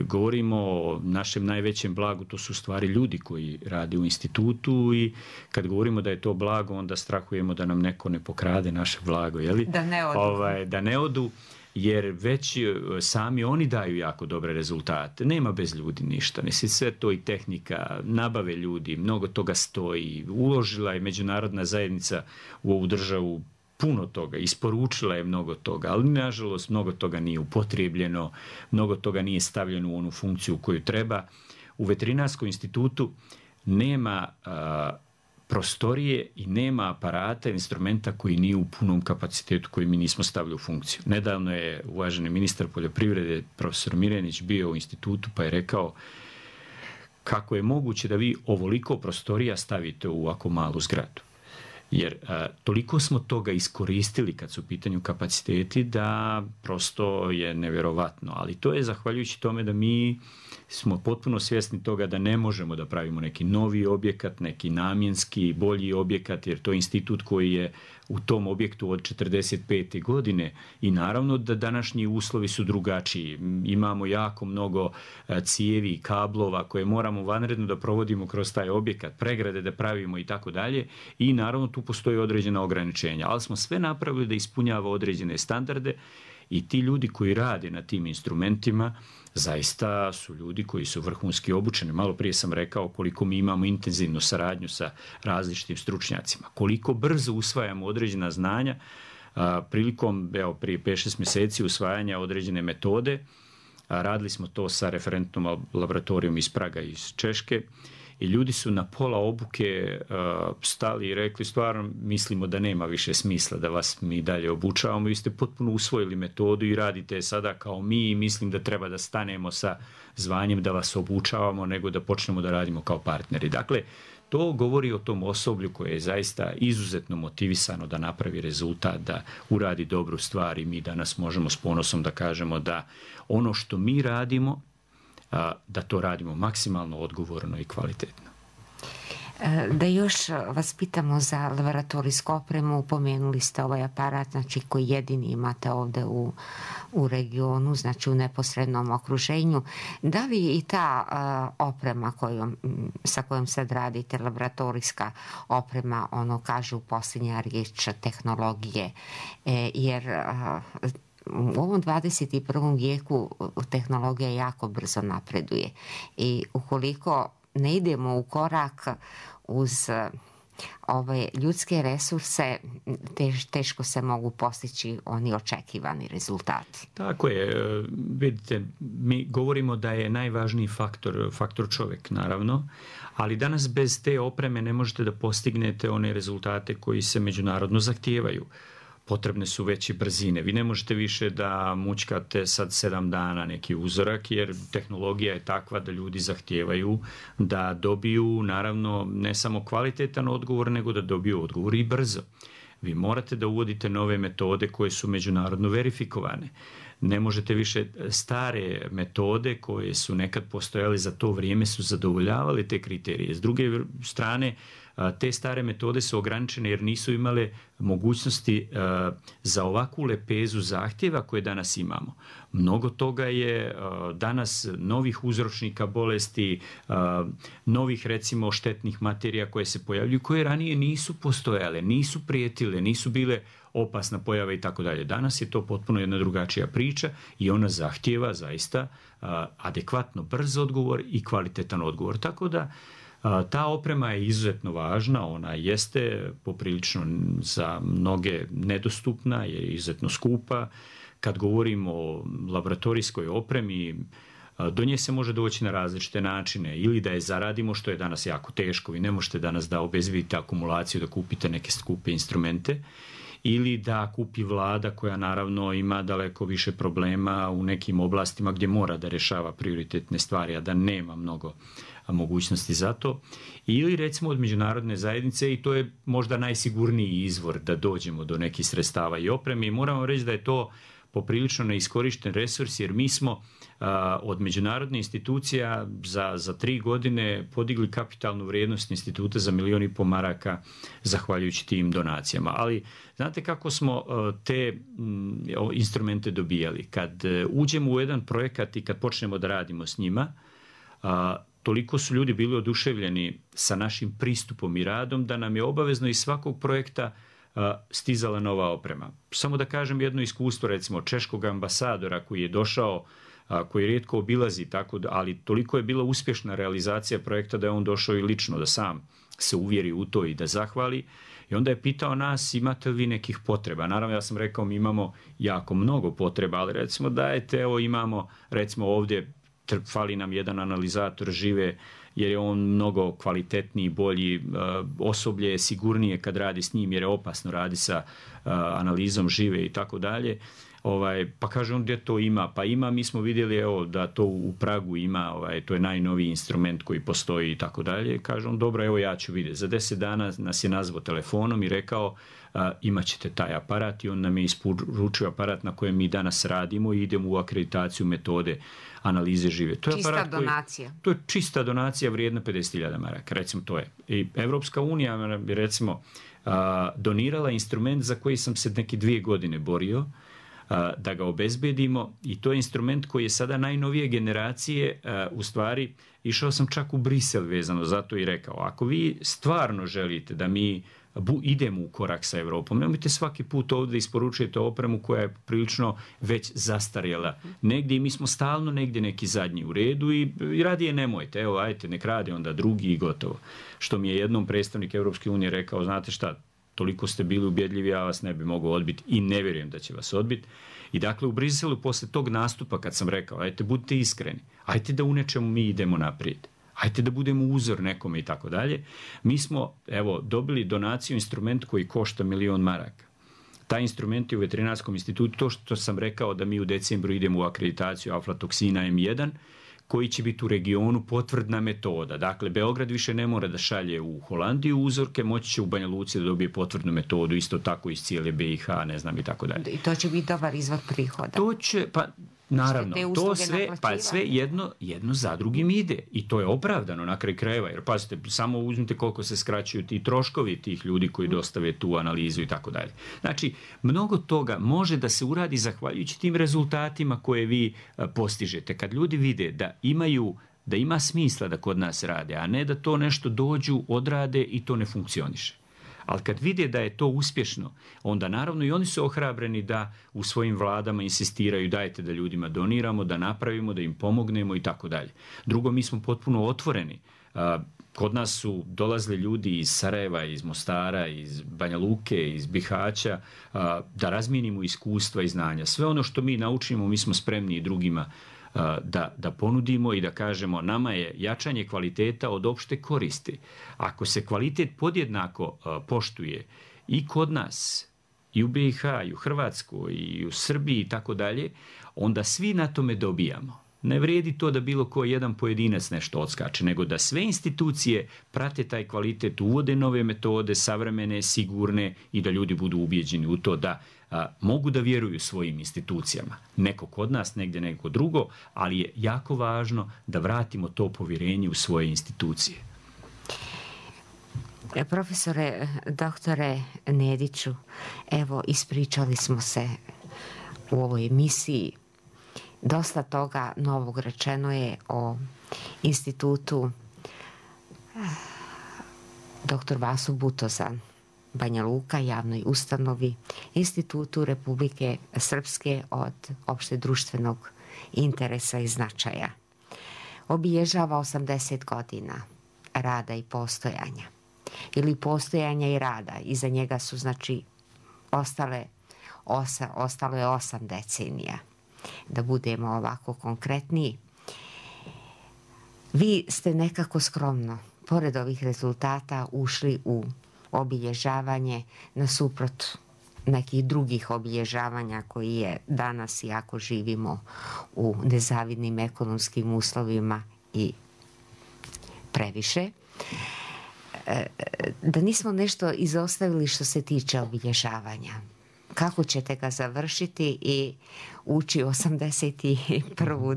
Speaker 4: govorimo o našem najvećem blagu, to su stvari ljudi koji rade u institutu, i kad govorimo da je to blago, onda strahujemo da nam neko ne pokrade naše blago, je li?
Speaker 3: Da ne odu.
Speaker 4: Ovaj, da ne odu, jer već sami oni daju jako dobre rezultate. Nema bez ljudi ništa. Mislim, sve to i tehnika, nabave ljudi, mnogo toga stoji. Uložila je međunarodna zajednica u ovu državu puno toga, isporučila je mnogo toga, ali nažalost mnogo toga nije upotrijebljeno, mnogo toga nije stavljeno u onu funkciju koju treba. U Veterinarskom institutu nema a, prostorije i nema aparata, instrumenta koji nije u punom kapacitetu koji mi nismo stavili u funkciju. Nedavno je uvaženi ministar poljoprivrede, profesor Mirenić, bio u institutu pa je rekao kako je moguće da vi ovoliko prostorija stavite u ovako malu zgradu. Jer a, toliko smo toga iskoristili kad su u pitanju kapaciteti da prosto je nevjerovatno. Ali to je zahvaljujući tome da mi smo potpuno svjesni toga da ne možemo da pravimo neki novi objekat, neki namjenski, bolji objekat, jer to je institut koji je u tom objektu od četrdeset pete godine i naravno da današnji uslovi su drugačiji. Imamo jako mnogo cijevi i kablova koje moramo vanredno da provodimo kroz taj objekat, pregrade da pravimo i tako dalje, i naravno tu postoji određena ograničenja, ali smo sve napravili da ispunjava određene standarde i ti ljudi koji rade na tim instrumentima zaista su ljudi koji su vrhunski obučeni. Malo prije sam rekao koliko mi imamo intenzivnu saradnju sa različitim stručnjacima, koliko brzo usvajamo određena znanja. A, prilikom, evo, prije pet šest mjeseci usvajanja određene metode, a, radili smo to sa referentnom laboratorijom iz Praga i iz Češke, i ljudi su na pola obuke uh, stali i rekli stvarno mislimo da nema više smisla da vas mi dalje obučavamo, vi ste potpuno usvojili metodu i radite sada kao mi i mislim da treba da stanemo sa zvanjem da vas obučavamo nego da počnemo da radimo kao partneri. Dakle, to govori o tom osoblju koje je zaista izuzetno motivisano da napravi rezultat, da uradi dobru stvar, i mi danas možemo s ponosom da kažemo da ono što mi radimo, da to radimo maksimalno odgovorno i kvalitetno.
Speaker 3: Da još vas pitamo za laboratorijsku opremu, upomenuli ste ovaj aparat, znači koji jedini imate ovde u, u regionu, znači u neposrednom okruženju. Da li i ta uh, oprema kojom, sa kojom sad radite, laboratorijska oprema, ono kažu posljednja riječ tehnologije, e, jer uh, u ovom dvadeset i prvom vijeku tehnologija jako brzo napreduje i ukoliko ne idemo u korak uz ove ljudske resurse, tež, teško se mogu postići oni očekivani rezultati.
Speaker 4: Tako je. Vidite, mi govorimo da je najvažniji faktor, faktor čovjek, naravno, ali danas bez te opreme ne možete da postignete one rezultate koji se međunarodno zahtijevaju. Potrebne su veće brzine. Vi ne možete više da mućkate sad sedam dana neki uzorak, jer tehnologija je takva da ljudi zahtijevaju da dobiju, naravno, ne samo kvalitetan odgovor, nego da dobiju odgovor i brzo. Vi morate da uvodite nove metode koje su međunarodno verifikovane. Ne možete više stare metode koje su nekad postojale za to vrijeme su zadovoljavale te kriterije. S druge strane, te stare metode su ograničene jer nisu imale mogućnosti za ovakvu lepezu zahtjeva koje danas imamo. Mnogo toga je danas novih uzročnika bolesti, novih recimo štetnih materija koje se pojavljuju, koje ranije nisu postojale, nisu prijetile, nisu bile opasna pojava i tako dalje. Danas je to potpuno jedna drugačija priča i ona zahtjeva zaista adekvatno brz odgovor i kvalitetan odgovor. Tako da ta oprema je izuzetno važna, ona jeste poprilično za mnoge nedostupna, je izuzetno skupa. Kad govorimo o laboratorijskoj opremi, do nje se može doći na različite načine, ili da je zaradimo, što je danas jako teško, vi ne možete danas da obezbedite akumulaciju, da kupite neke skupe instrumente, ili da kupi vlada koja naravno ima daleko više problema u nekim oblastima gdje mora da rješava prioritetne stvari, a da nema mnogo mogućnosti za to, ili recimo od međunarodne zajednice, i to je možda najsigurniji izvor da dođemo do nekih sredstava i opreme, i moramo reći da je to poprilično neiskorišten resurs, jer mi smo a, od međunarodne institucija za, za tri godine podigli kapitalnu vrijednost instituta za milijon i po maraka zahvaljujući tim donacijama. Ali znate kako smo a, te m, instrumente dobijali? Kad a, uđemo u jedan projekat i kad počnemo da radimo s njima, a, toliko su ljudi bili oduševljeni sa našim pristupom i radom da nam je obavezno iz svakog projekta stizala nova oprema. Samo da kažem jedno iskustvo, recimo češkog ambasadora koji je došao, koji rijetko obilazi, tako da, ali toliko je bila uspješna realizacija projekta da je on došao i lično da sam se uvjeri u to i da zahvali. I onda je pitao nas, imate li vi nekih potreba? Naravno, ja sam rekao, mi imamo jako mnogo potreba, ali recimo dajte, evo imamo, recimo ovdje fali nam jedan analizator žive, jer je on mnogo kvalitetniji, bolji, osoblje je sigurnije kad radi s njim, jer je opasno radi sa analizom žive i tako dalje. Ovaj, pa kaže on gdje to ima, pa ima, mi smo vidjeli evo, da to u Pragu ima, ovaj, to je najnoviji instrument koji postoji i tako dalje. Kaže on, dobro, evo ja ću vidjeti. Za deset dana nas je nazvao telefonom i rekao, a, imat ćete taj aparat, i on nam je isporučio aparat na kojem mi danas radimo i idemo u akreditaciju metode analize žive. To je
Speaker 3: čista
Speaker 4: aparat koji,
Speaker 3: donacija.
Speaker 4: to je čista donacija vrijedna pedeset hiljada maraka, recimo to je. I Evropska unija bi recimo a, donirala instrument za koji sam se neki dvije godine borio, da ga obezbedimo, i to je instrument koji je sada najnovije generacije. U stvari išao sam čak u Brisel vezano zato i rekao, ako vi stvarno želite da mi idemo u korak sa Evropom, nemojte svaki put ovdje isporučujete opremu koja je prilično već zastarjela negdje i mi smo stalno negdje neki zadnji u redu i, i radije nemojte, evo ajte nek radi onda drugi i gotovo. Što mi je jednom predstavnik Evropske unije rekao, znate šta, toliko ste bili ubjedljivi, ja vas ne bi mogao odbiti i ne vjerujem da će vas odbiti. I dakle u Briselu posle tog nastupa kad sam rekao, ajte budite iskreni, ajte da u nečemu mi idemo naprijed, ajte da budemo uzor nekome i tako dalje, mi smo evo dobili donaciju instrument koji košta milion maraka. Taj instrument je u Veterinarskom institutu, to što sam rekao da mi u decembru idemo u akreditaciju aflatoksina em jedan, koji će biti u regionu potvrdna metoda. Dakle, Beograd više ne mora da šalje u Holandiju uzorke, moći će u Banja Luci da dobije potvrdnu metodu, isto tako iz cijele be i ha, ne znam i tako dalje.
Speaker 3: I to će biti dobar izvor prihoda.
Speaker 4: To će, pa Naravno, to sve, pa sve jedno, jedno za drugim ide i to je opravdano na kraju krajeva, jer pazite, samo uzmite koliko se skraćuju ti troškovi tih ljudi koji dostave tu analizu i tako dalje. Znači, mnogo toga može da se uradi zahvaljujući tim rezultatima koje vi postižete. Kad ljudi vide da imaju, da ima smisla da kod nas rade, a ne da to nešto dođu, odrade i to ne funkcioniše. Ali kad vide da je to uspješno, onda naravno i oni su ohrabreni da u svojim vladama insistiraju dajte da ljudima doniramo, da napravimo, da im pomognemo i tako dalje. Drugo, mi smo potpuno otvoreni. Kod nas su dolazili ljudi iz Sarajeva, iz Mostara, iz Banja Luke, iz Bihaća, da razmijenimo iskustva i znanja. Sve ono što mi naučimo, mi smo spremni i drugima Da, da ponudimo i da kažemo nama je jačanje kvaliteta od opšte koristi. Ako se kvalitet podjednako poštuje i kod nas, i u B i H, i u Hrvatskoj, i u Srbiji i tako dalje, onda svi na tome dobijamo. Ne vredi to da bilo ko jedan pojedinac nešto odskače, nego da sve institucije prate taj kvalitet, uvode nove metode, savremene, sigurne i da ljudi budu ubijeđeni u to da a, mogu da vjeruju svojim institucijama. Neko kod nas, negdje neko drugo, ali je jako važno da vratimo to povjerenje u svoje institucije.
Speaker 3: Profesore, doktore Nediću, evo ispričali smo se u ovoj emisiji. Dosta toga novog rečeno je o institutu doktor Vaso Butoza, Banja Luka, javnoj ustanovi, institutu Republike Srpske od opšte društvenog interesa i značaja. Obilježava osamdeset godina rada i postojanja. Ili postojanja i rada. Iza njega su, znači, ostale, osa, ostalo je osam decenija. Da budemo ovako konkretniji. Vi ste nekako skromno, pored ovih rezultata, ušli u obilježavanje nasuprot nekih drugih obilježavanja koji je danas, iako živimo u nezavidnim ekonomskim uslovima i previše, da nismo nešto izostavili što se tiče obilježavanja. Kako ćete ga završiti i ući osamdeset prvu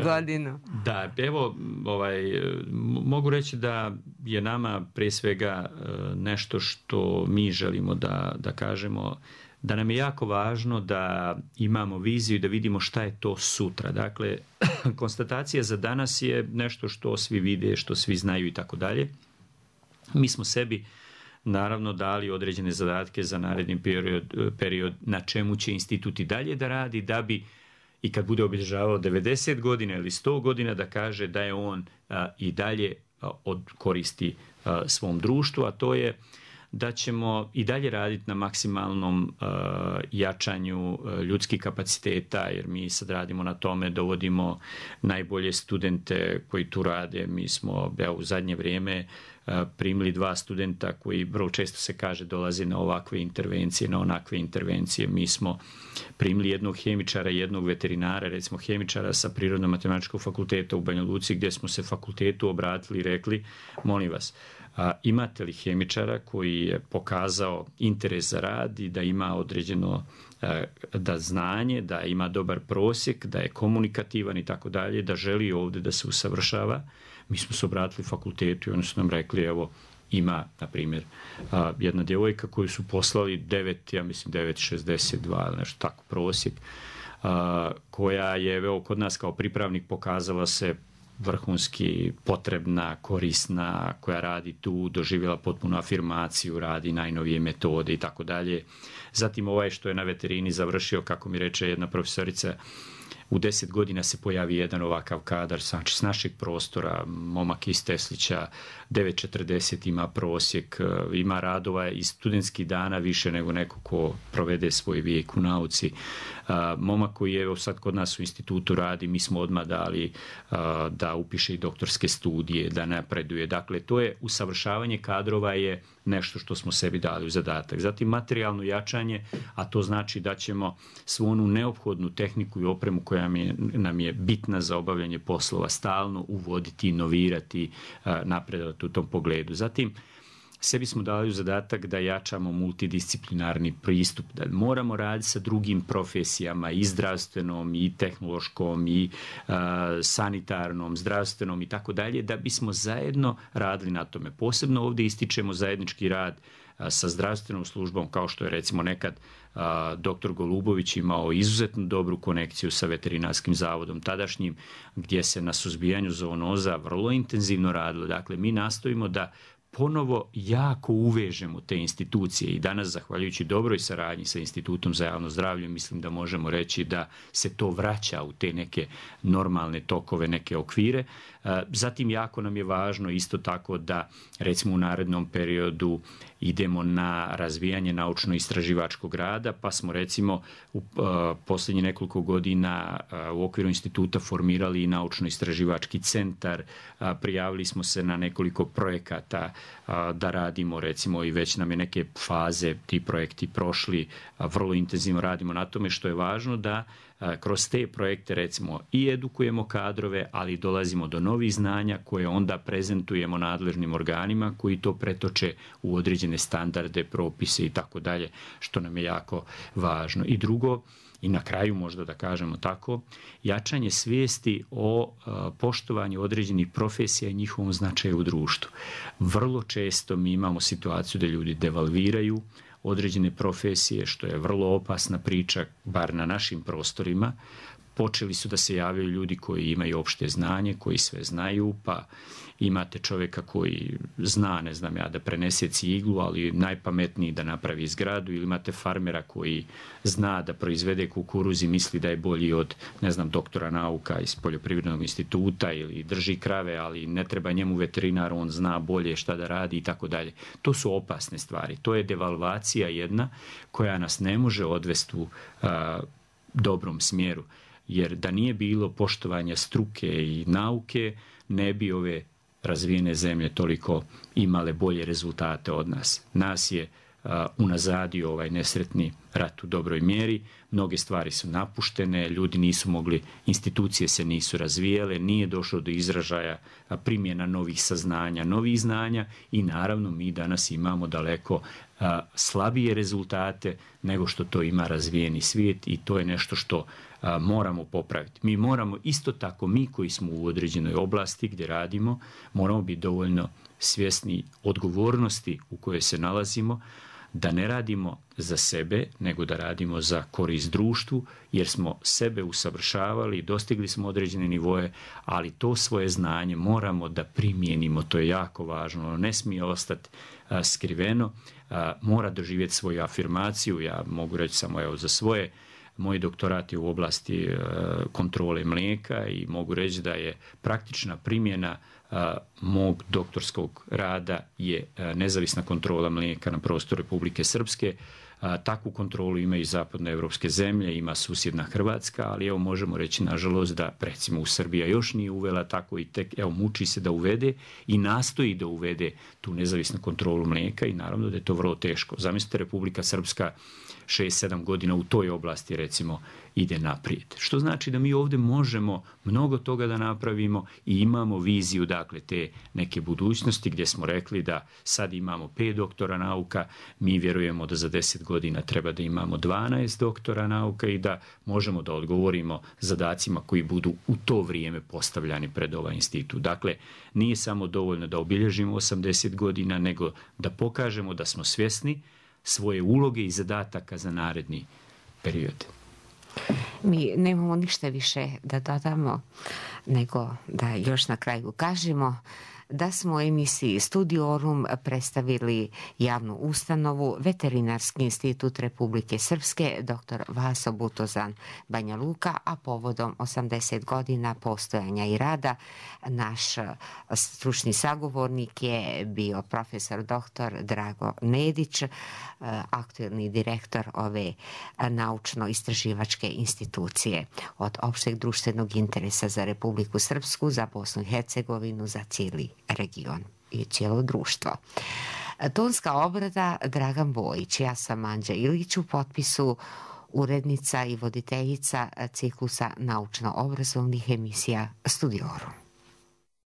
Speaker 3: godinu?
Speaker 4: Da, evo, ovaj, mogu reći da je nama prije svega nešto što mi želimo da, da kažemo, da nam je jako važno da imamo viziju i da vidimo šta je to sutra. Dakle, konstatacija za danas je nešto što svi vide, što svi znaju i tako dalje. Mi smo sebi naravno dali određene zadatke za naredni period, period na čemu će institut i dalje da radi, da bi i kad bude obilježavao devedeset godina ili sto godina da kaže da je on a, i dalje a, od koristi a, svom društvu, a to je da ćemo i dalje raditi na maksimalnom uh, jačanju uh, ljudskih kapaciteta, jer mi sad radimo na tome, dovodimo najbolje studente koji tu rade. Mi smo evo, u zadnje vrijeme uh, primili dva studenta koji vrlo često se kaže dolaze na ovakve intervencije, na onakve intervencije. Mi smo primili jednog hemičara i jednog veterinara, recimo hemičara sa Prirodno-matematičkog fakulteta u Banja Luci, gdje smo se fakultetu obratili i rekli, molim vas, a, imate li hemičara koji je pokazao interes za rad i da ima određeno a, da znanje, da ima dobar prosjek, da je komunikativan i tako dalje, da želi ovdje da se usavršava. Mi smo se obratili fakultetu i oni su nam rekli, evo, ima, na primjer, a, jedna djevojka koju su poslali devet, ja mislim devet šezdeset dva, nešto tako prosjek, a, koja je evo, kod nas kao pripravnik pokazala se vrhunski potrebna, korisna, koja radi tu, doživjela potpunu afirmaciju, radi najnovije metode i tako dalje. Zatim ovaj što je na veterini završio, kako mi reče jedna profesorica, u deset godina se pojavi jedan ovakav kadar, znači s našeg prostora, momak iz Teslića, devet četrdeset ima prosjek, ima radova iz studentskih dana više nego neko ko provede svoj vijek u nauci. Momak koji je evo sad kod nas u institutu radi, mi smo odmah dali da upiše i doktorske studije, da napreduje. Dakle, to je usavršavanje kadrova je nešto što smo sebi dali u zadatak. Zatim materijalno jačanje, a to znači da ćemo svu onu neophodnu tehniku i opremu koja nam je bitna za obavljanje poslova stalno uvoditi, inovirati, napredovati u tom pogledu. Zatim, sebi smo dali u zadatak da jačamo multidisciplinarni pristup, da moramo raditi sa drugim profesijama, i zdravstvenom, i tehnološkom, i uh, sanitarnom, zdravstvenom i tako dalje, da bismo zajedno radili na tome. Posebno ovdje ističemo zajednički rad uh, sa zdravstvenom službom, kao što je recimo nekad uh, doktor Golubović imao izuzetno dobru konekciju sa veterinarskim zavodom tadašnjim, gdje se na suzbijanju zoonoza vrlo intenzivno radilo. Dakle, mi nastojimo da ponovo jako uvežemo te institucije i danas, zahvaljujući dobroj saradnji sa Institutom za javno zdravlje, mislim da možemo reći da se to vraća u te neke normalne tokove, neke okvire. Zatim, jako nam je važno isto tako da, recimo, u narednom periodu idemo na razvijanje naučno-istraživačkog rada, pa smo recimo u posljednjih nekoliko godina u okviru instituta formirali i naučno-istraživački centar, prijavili smo se na nekoliko projekata da radimo, recimo, i već nam je neke faze ti projekti prošli, vrlo intenzivno radimo na tome, što je važno da kroz te projekte, recimo, i edukujemo kadrove, ali dolazimo do novih znanja koje onda prezentujemo nadležnim organima koji to pretoče u određene standarde, propise i tako dalje, što nam je jako važno. I drugo, i na kraju možda da kažemo tako, jačanje svijesti o a, poštovanju određenih profesija i njihovom značaju u društvu. Vrlo često mi imamo situaciju da ljudi devalviraju određene profesije, što je vrlo opasna priča, bar na našim prostorima. Počeli su da se javljaju ljudi koji imaju opšte znanje, koji sve znaju, pa imate čovjeka koji zna, ne znam ja, da prenese ciglu, ali najpametniji da napravi zgradu, ili imate farmera koji zna da proizvede kukuruz i misli da je bolji od, ne znam, doktora nauka iz Poljoprivrednog instituta, ili drži krave, ali ne treba njemu veterinar, on zna bolje šta da radi i tako dalje. To su opasne stvari. To je devalvacija jedna koja nas ne može odvesti u a, dobrom smjeru. Jer da nije bilo poštovanja struke i nauke, ne bi ove razvijene zemlje toliko imale bolje rezultate od nas. Nas je uh, unazadio ovaj nesretni rat u dobroj mjeri, mnoge stvari su napuštene, ljudi nisu mogli, institucije se nisu razvijele, nije došlo do izražaja primjena novih saznanja, novih znanja i naravno mi danas imamo daleko a, slabije rezultate nego što to ima razvijeni svijet i to je nešto što a, moramo popraviti. Mi moramo isto tako, mi koji smo u određenoj oblasti gdje radimo, moramo biti dovoljno svjesni odgovornosti u kojoj se nalazimo, da ne radimo za sebe, nego da radimo za korist društvu, jer smo sebe usavršavali, dostigli smo određene nivoje, ali to svoje znanje moramo da primijenimo, to je jako važno, ono ne smije ostati a, skriveno, a, mora doživjeti svoju afirmaciju, ja mogu reći samo evo za svoje, moj doktorat je u oblasti a, kontrole mlijeka i mogu reći da je praktična primjena a, mog doktorskog rada je a, nezavisna kontrola mlijeka na prostoru Republike Srpske. A, takvu kontrolu imaju i zapadnoevropske zemlje, ima susjedna Hrvatska, ali evo možemo reći nažalost da recimo u Srbija još nije uvela tako i tek evo muči se da uvede i nastoji da uvede tu nezavisnu kontrolu mlijeka i naravno da je to vrlo teško. Zamislite Republika Srpska šest sedam godina u toj oblasti recimo ide naprijed. Što znači da mi ovdje možemo mnogo toga da napravimo i imamo viziju dakle te neke budućnosti gdje smo rekli da sad imamo pet doktora nauka, mi vjerujemo da za deset godina treba da imamo dvanaest doktora nauka i da možemo da odgovorimo zadacima koji budu u to vrijeme postavljani pred ovaj institut. Dakle, nije samo dovoljno da obilježimo osamdeset godina, nego da pokažemo da smo svjesni svoje uloge i zadataka za naredni period.
Speaker 3: Mi nemamo ništa više da dodamo, nego da još na kraju kažemo da smo u emisiji Studiorum predstavili javnu ustanovu Veterinarski institut Republike Srpske dr. Vaso Butozan Banja Luka, a povodom osamdeset godina postojanja i rada naš stručni sagovornik je bio profesor doktor Drago Nedić, aktuelni direktor ove naučno-istraživačke institucije od opšteg društvenog interesa za Republiku Srpsku, za Bosnu i Hercegovinu, za cijeli region i cijelo društvo. Tonska obrada Dragan Bojić, ja sam Anđa Ilić, u potpisu urednica i voditeljica ciklusa naučno-obrazovnih emisija Studiorum.